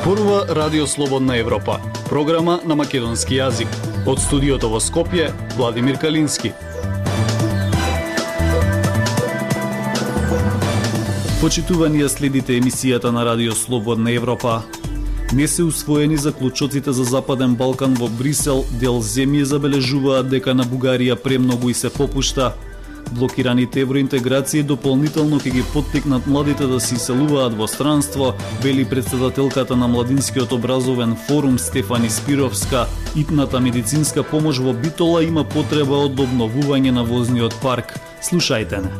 Зборува Радио Слободна Европа, програма на македонски јазик. Од студиото во Скопје, Владимир Калински. Почитувани, следите емисијата на Радио Слободна Европа. Не се усвоени заклучоците за Западен Балкан во Брисел, дел земји забележуваат дека на Бугарија премногу и се попушта. Блокираните евроинтеграции дополнително ќе ги поттикнат младите да се иселуваат во странство, вели претседателката на Младинскиот образовен форум Стефани Спировска. Итната медицинска помош во Битола има потреба од обновување на возниот парк. Слушајте не.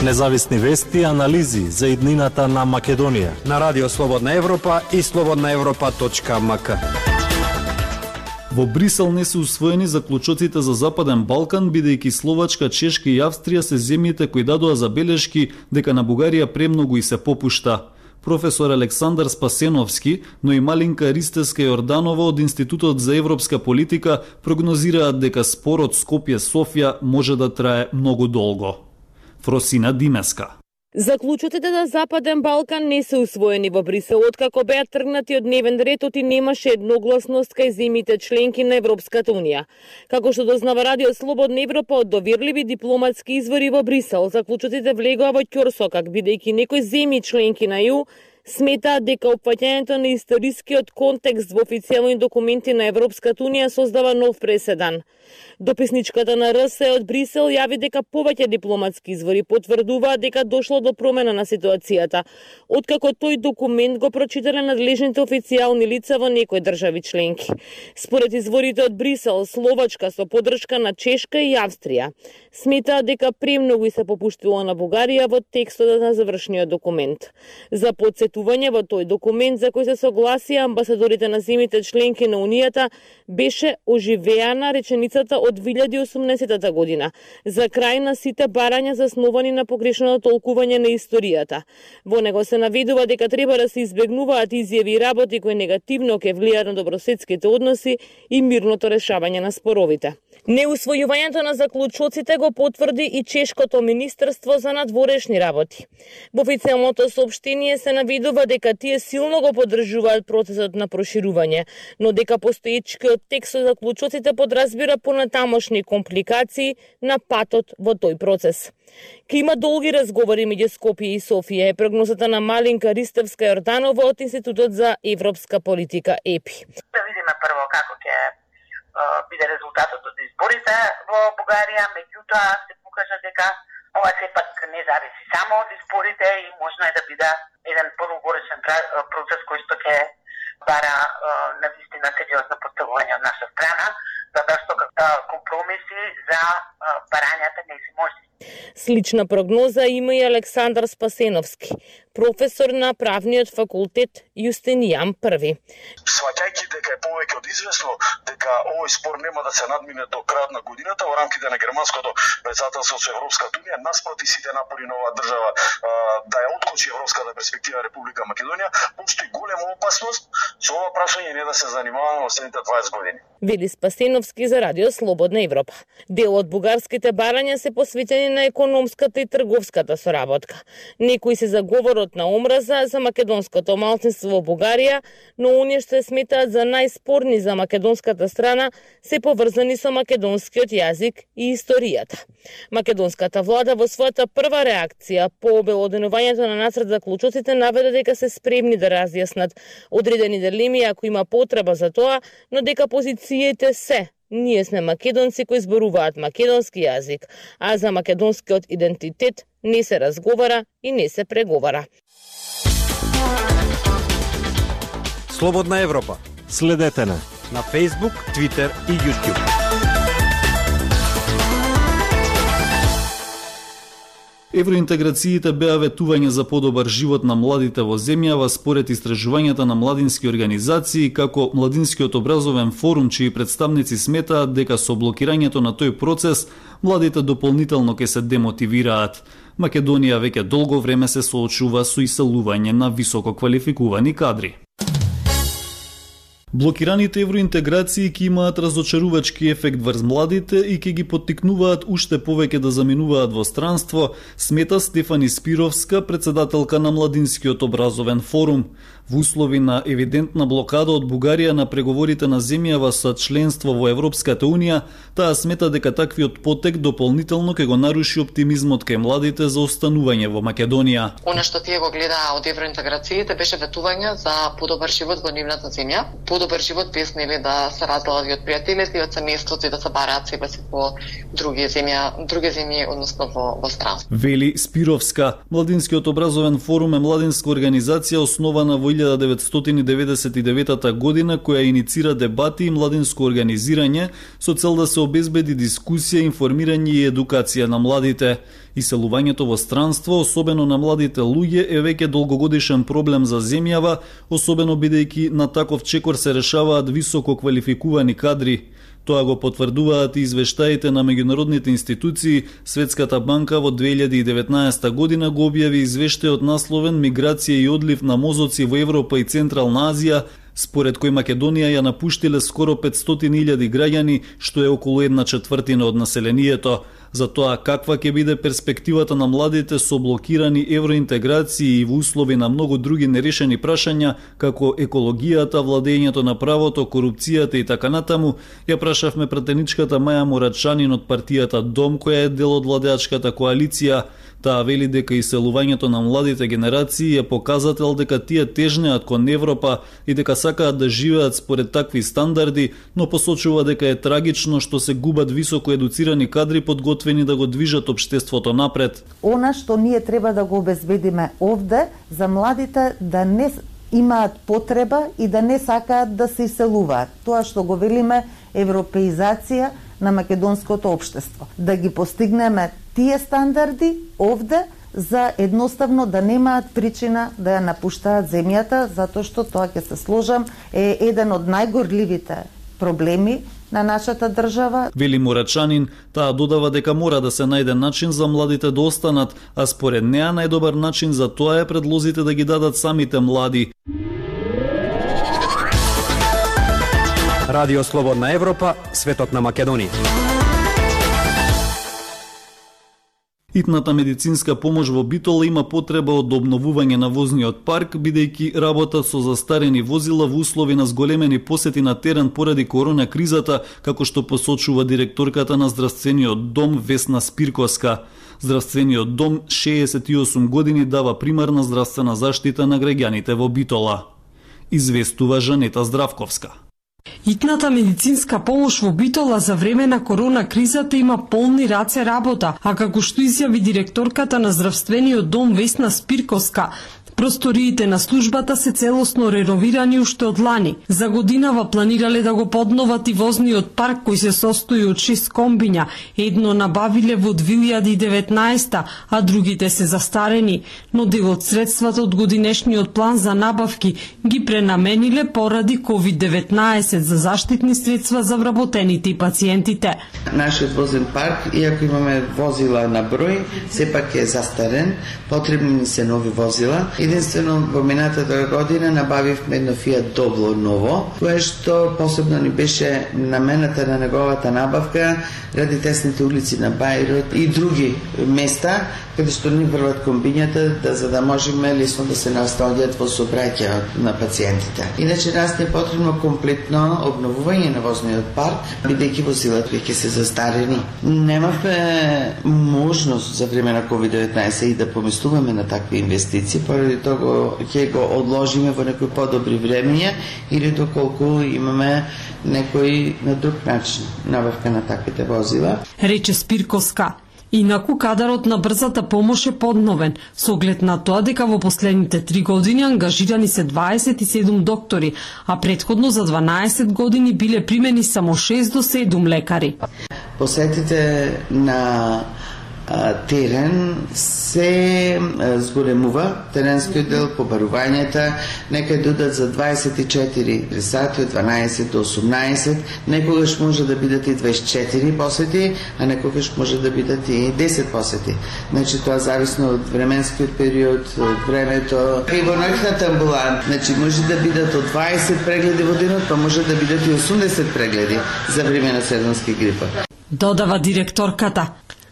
Независни вести и анализи за иднината на Македонија на Радио Слободна Европа и slobodnaevropa.mk. Во Брисел не се усвоени заклучоците за Западен Балкан, бидејќи Словачка, Чешка и Австрија се земјите кои дадоа забелешки дека на Бугарија премногу и се попушта. Професор Александар Спасеновски, но и Малинка Ристеска Јорданова од Институтот за европска политика прогнозираат дека спорот Скопје-Софија може да трае многу долго. Фросина Димеска. Заклучоците на Западен Балкан не се усвоени во Брисел, откако беа тргнати од дневен ред и немаше едногласност кај земјите членки на Европската Унија. Како што дознава Радио Слободна Европа од доверливи дипломатски извори во Брисел, заклучоците влегоа во ќорсокак, бидејќи некои земји членки на ЕУ сметаат дека опфаќањето на историскиот контекст во официјални документи на Европската Унија создава нов преседан. Дописничката на РС од Брисел јави дека повеќе дипломатски извори потврдуваат дека дошло до промена на ситуацијата, откако тој документ го прочитале надлежните официјални лица во некои држави членки. Според изворите од Брисел, Словачка со поддршка на Чешка и Австрија сметаат дека премногу и се попуштило на Бугарија во текстот на завршниот документ. За подсетување, во тој документ за кој се согласија амбасадорите на земјите членки на Унијата беше оживеана реченицата од 2018 година за крај на сите барања засновани на погрешното толкување на историјата. Во него се наведува дека треба да се избегнуваат изјави и работи кои негативно ќе влијаат на добросетските односи и мирното решавање на споровите. Неусвојувањето на заклучоците го потврди и Чешкото министерство за надворешни работи. Во официјалното соопштение се наведува дека тие силно го поддржуваат процесот на проширување, но дека постоечкиот текст за заклучоците подразбира понатамошни компликации на патот во тој процес. Ке има долги разговори меѓу Скопје и Софија е прогнозата на Малинка Ристевска Јорданова од Институтот за европска политика ЕПИ. Да видиме прво како ќе биде резултатот од изборите во Бугарија, меѓутоа се покажа дека ова сепак не зависи само од изборите и можно е да биде еден подолгоречен процес кој што ќе бара навистина сериозно поставување од наша страна, затоа што компромиси за барањата не се може. Слична прогноза има и Александар Спасеновски, професор на правниот факултет Јустинијан I. Сваќајќи дека е повеќе од известно дека овој спор нема да се надмине до крајот на годината во рамките на германското претседателство со Европската Унија, наспроти сите напори на оваа држава да ја откочи европската перспектива Република Македонија, постои голема опасност со ова прашање не да се занимаваме во следните 20 години. Вели Спасеновски за Радио Слободна Европа. Дел од бугарските барања се посветени на економската и трговската соработка. Некои се за говорот на омраза за македонското малцинство во Бугарија, но оние што сметаат за најспорни за македонската страна се поврзани со македонскиот јазик и историјата. Македонската влада во својата прва реакција по обелоденувањето на нацрт за заклучоците наведе дека се спремни да разјаснат одредени дилеми ако има потреба за тоа, но дека позициите се ние сме македонци кои зборуваат македонски јазик, а за македонскиот идентитет не се разговара и не се преговара. Слободна Европа. Следете на Facebook, Twitter и YouTube. Евроинтеграциите беа ветување за подобар живот на младите во земјава според истражувањата на младински организации, како Младинскиот образовен форум, чии представници сметаат дека со блокирањето на тој процес младите дополнително ќе се демотивираат. Македонија веќе долго време се соочува со иселување на високо квалификувани кадри. Блокираните евроинтеграции ќе имаат разочарувачки ефект врз младите и ќе ги поттикнуваат уште повеќе да заминуваат во странство, смета Стефани Спировска, председателка на Младинскиот образовен форум. Во услови на евидентна блокада од Бугарија на преговорите на земјава за членство во Европската Унија, таа смета дека таквиот потек дополнително ќе го наруши оптимизмот кај младите за останување во Македонија. Она што тие го гледаа од евроинтеграциите беше ветување за подобар живот во нивната земја, подобар живот без нели да се разделаат од пријателите и од семејството и да се бараат себе си во други земји, односно во странство. Вели Спировска, Младинскиот образовен форум е младинска организација основана во 1999 година која иницира дебати и младинско организирање со цел да се обезбеди дискусија, информирање и едукација на младите. Иселувањето во странство, особено на младите луѓе, е веќе долгогодишен проблем за земјава, особено бидејќи на таков чекор се решаваат високо квалификувани кадри. Тоа го потврдуваат и извештаите на меѓународните институции. Светската банка во 2019 година го објави извештајот насловен Миграција и одлив на мозоци во Европа и Централна Азија, според кој Македонија ја напуштиле скоро 500.000 граѓани, што е околу 1/4 од населението. За тоа каква ќе биде перспективата на младите со блокирани евроинтеграции и во услови на многу други нерешени прашања, како екологијата, владењето на правото, корупцијата и така натаму, ја прашавме пратеничката Маја Мурачанин од партијата Дом, која е дел од владеачката коалиција. Таа вели дека иселувањето на младите генерации е показател дека тие тежнеат кон Европа и дека сакаат да живеат според такви стандарди, но посочува дека е трагично што се губат високо едуцирани кадри подготвени да го движат општеството напред. Она што ние треба да го обезбедиме овде за младите да не имаат потреба и да не сакаат да се иселуваат. Тоа што го велиме европеизација на македонското општество. Да ги постигнеме тие стандарди овде за едноставно да немаат причина да ја напуштаат земјата, затоа што тоа ќе се сложам е еден од најгорливите проблеми на нашата држава. Вели Мурачанин, таа додава дека мора да се најде начин за младите да останат, а според неа најдобар начин за тоа е предлозите да ги дадат самите млади. Радио Слободна Европа, светот на Македонија. Итната медицинска помош во Битола има потреба од обновување на возниот парк, бидејќи работат со застарени возила во услови на зголемени посети на терен поради корона кризата, како што посочува директорката на здравствениот дом Весна Спирковска. Здравствениот дом 68 години дава примарна здравствена заштита на граѓаните во Битола. Известува Жанета Здравковска. Итната медицинска помош во Битола за време на корона кризата има полни раце работа, а како што изјави директорката на здравствениот дом Весна Спирковска, просториите на службата се целосно реновирани уште од лани. За годинава планирале да го подноват и возниот парк кој се состои од 6 комбиња. Едно набавиле во 2019, а другите се застарени, но дел од средствата од годинешниот план за набавки ги пренамениле поради COVID-19 за заштитни средства за вработените и пациентите. Нашиот возен парк, иако имаме возила на број, сепак е застарен, потребни се нови возила. Единствено во минатата година набавивме едно Fiat Doblo ново, кое што посебно ни беше намената на неговата набавка ради тесните улици на Бајрот и други места каде што ни врват комбињата за да можеме лесно да се настанат во сообраќај на пациентите. Иначе нас не е потребно комплетно обновување на возниот парк, бидејќи возилата веќе се застарени. Немавме можност за време на COVID-19 и да помислуваме на такви инвестиции, поради тоа ќе го одложиме во некои подобри времења или доколку имаме некој на друг начин набавка на таквите возила. Рече Спирковска. Инаку кадарот на брзата помош е подновен, со оглед на тоа дека во последните 3 години ангажирани се 27 доктори, а претходно за 12 години биле примени само 6 до 7 лекари. Посетите на терен се зголемува, теренскиот дел, побарувањата, некај додат за 24 сати од 12 до 18, некогаш може да бидат и 24 посети, а некогаш може да бидат и 10 посети. Значи тоа зависно од временскиот период, од времето. И во ноќната амбуланта, значи може да бидат од 20 прегледи во денот, па може да бидат и 80 прегледи за време на сезонски грипа. Додава директорката.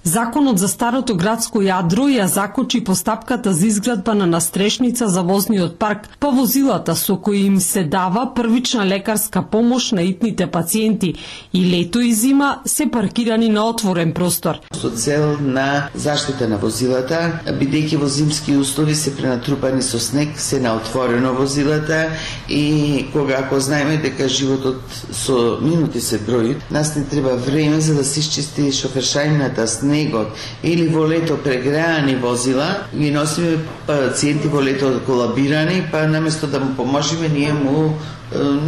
Законот за старото градско јадро ја закочи постапката за изградба на настрешница за возниот парк по возилата со кои им се дава првична лекарска помош на итните пациенти и лето и зима се паркирани на отворен простор. Со цел на заштита на возилата, бидејќи во зимски услови се пренатрупани со снег, се на отворено возилата и ако знаеме дека животот со минути се брои, нас не треба време за да се исчисти шофершајната, снегот или во лето прегреани возила, ги носиме пациенти во лето колабирани, па наместо да му поможеме, ние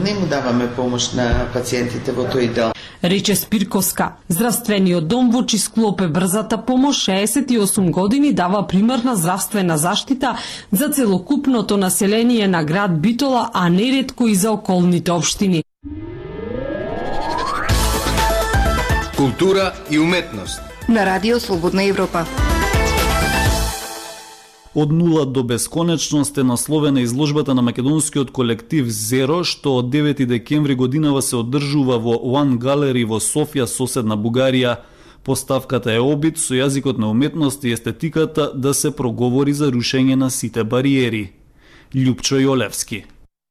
не му даваме помош на пациентите во тој дел. Рече Спирковска. Здравствениот дом во чиј склоп е брзата помош 68 години дава примерна здравствена заштита за целокупното население на град Битола, а неретко и за околните општини. Култура и уметност на Радио Слободна Европа. Од нула до бесконечност е насловена изложбата на македонскиот колектив Zero, што од 9 декември годинава се одржува во One Gallery во Софија, соседна Бугарија. Поставката е обид со јазикот на уметност и естетиката да се проговори за рушење на сите бариери. Љупчо Јолевски.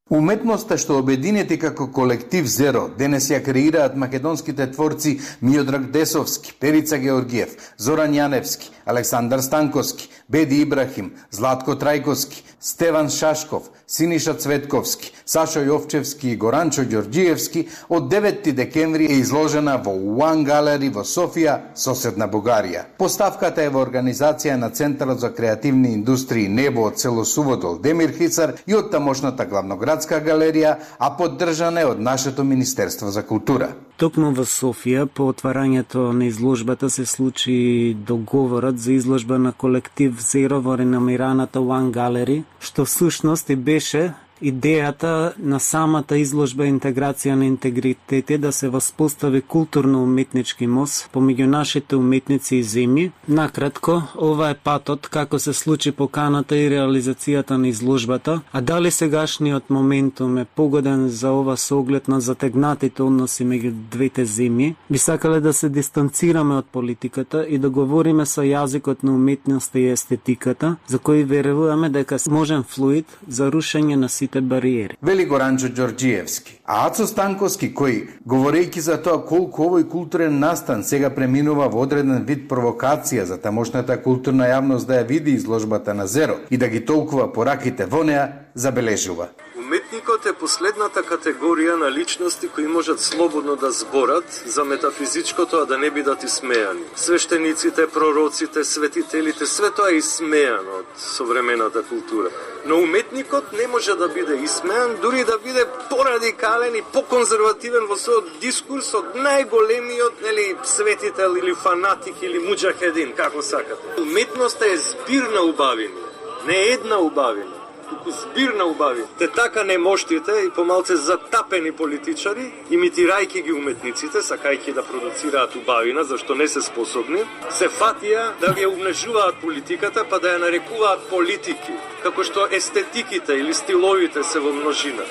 Уметноста што обединети како колектив Zero денес ја креираат македонските творци Миодраг Десовски, Перица Георгиев, Зоран Јаневски, Александар Станковски, Беди Ибрахим, Златко Трајковски, Стеван Шашков, Синиша Цветковски, Сашо Јовчевски и Горанчо Ѓорѓиевски од 9 декември е изложена во One Gallery во Софија, соседна Бугарија. Поставката е во организација на Центарот за креативни индустрии Небо од село Суводол Демир Хисар и од тамошната главноградска галерија, а поддржана е од нашето Министерство за култура. Токму во Софија, по отварањето на изложбата се случи договорот за изложба на колектив Zero во реномираната One Gallery, што всушност и беше идејата на самата изложба интеграција на интегритети да се воспостави културно-уметнички мост помеѓу нашите уметници и земји. Накратко, ова е патот како се случи поканата и реализацијата на изложбата, а дали сегашниот моментум е погоден за ова со оглед на затегнатите односи меѓу двете земји, би сакале да се дистанцираме од политиката и да говориме со јазикот на уметноста и естетиката, за кој веруваме дека можен флуид за рушење на бариери. Вели Горанчо Ѓорѓиевски. А Ацо Станковски, кој, говорејќи за тоа колку овој културен настан сега преминува во одреден вид провокација за тамошната културна јавност да ја види изложбата на Zero и да ги толкува пораките во неа, забележува. Уметникот е последната категорија на личности кои можат слободно да зборат за метафизичкото, а да не бидат исмејани. Свештениците, пророците, светителите, све тоа е исмејано од современата култура. Но уметникот не може да биде исмејан, дури да биде порадикален и поконзервативен во својот дискурс од најголемиот, светител или фанатик или муџахедин, како сакате. Уметноста е збир на убавини, не една убавина. Туку збир на убави. Те така немоштите и помалце затапени политичари, имитирајќи ги уметниците, сакајќи да продуцираат убавина, зашто не се способни, се фатија да ја умнежуваат политиката, па да ја нарекуваат политики, како што естетиките или стиловите се во множина.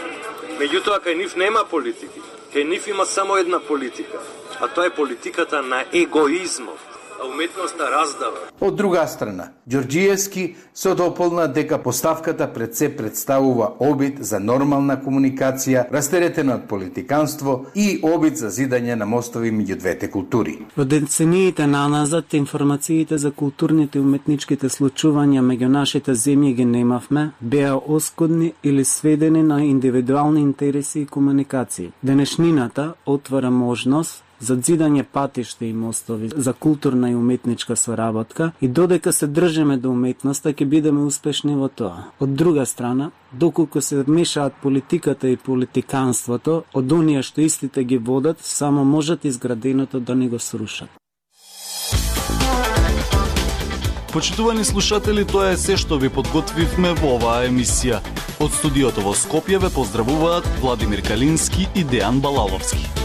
Меѓутоа, кај нив нема политики. Кај нив има само една политика, а тоа е политиката на егоизмот. А уметноста раздава. Од друга страна, Ѓорѓиевски се дополна дека поставката пред се представува обид за нормална комуникација, растеретена од политиканство и обид за зидање на мостови меѓу двете култури. Во децениите наназад информациите за културните и уметничките случувања меѓу нашите земји ги немавме, беа оскудни или сведени на индивидуални интереси и комуникации. Денешнината отвара можност за зидање патишта и мостови за културна и уметничка соработка и додека се држиме до уметноста ќе бидеме успешни во тоа. Од друга страна, доколку се мешаат политиката и политиканството, од оние што истите ги водат, само можат изграденото да не го срушат. Почитувани слушатели, тоа е се што ви подготвивме во оваа емисија. Од студиото во Скопје ве поздравуваат Владимир Калински и Дејан Балаловски.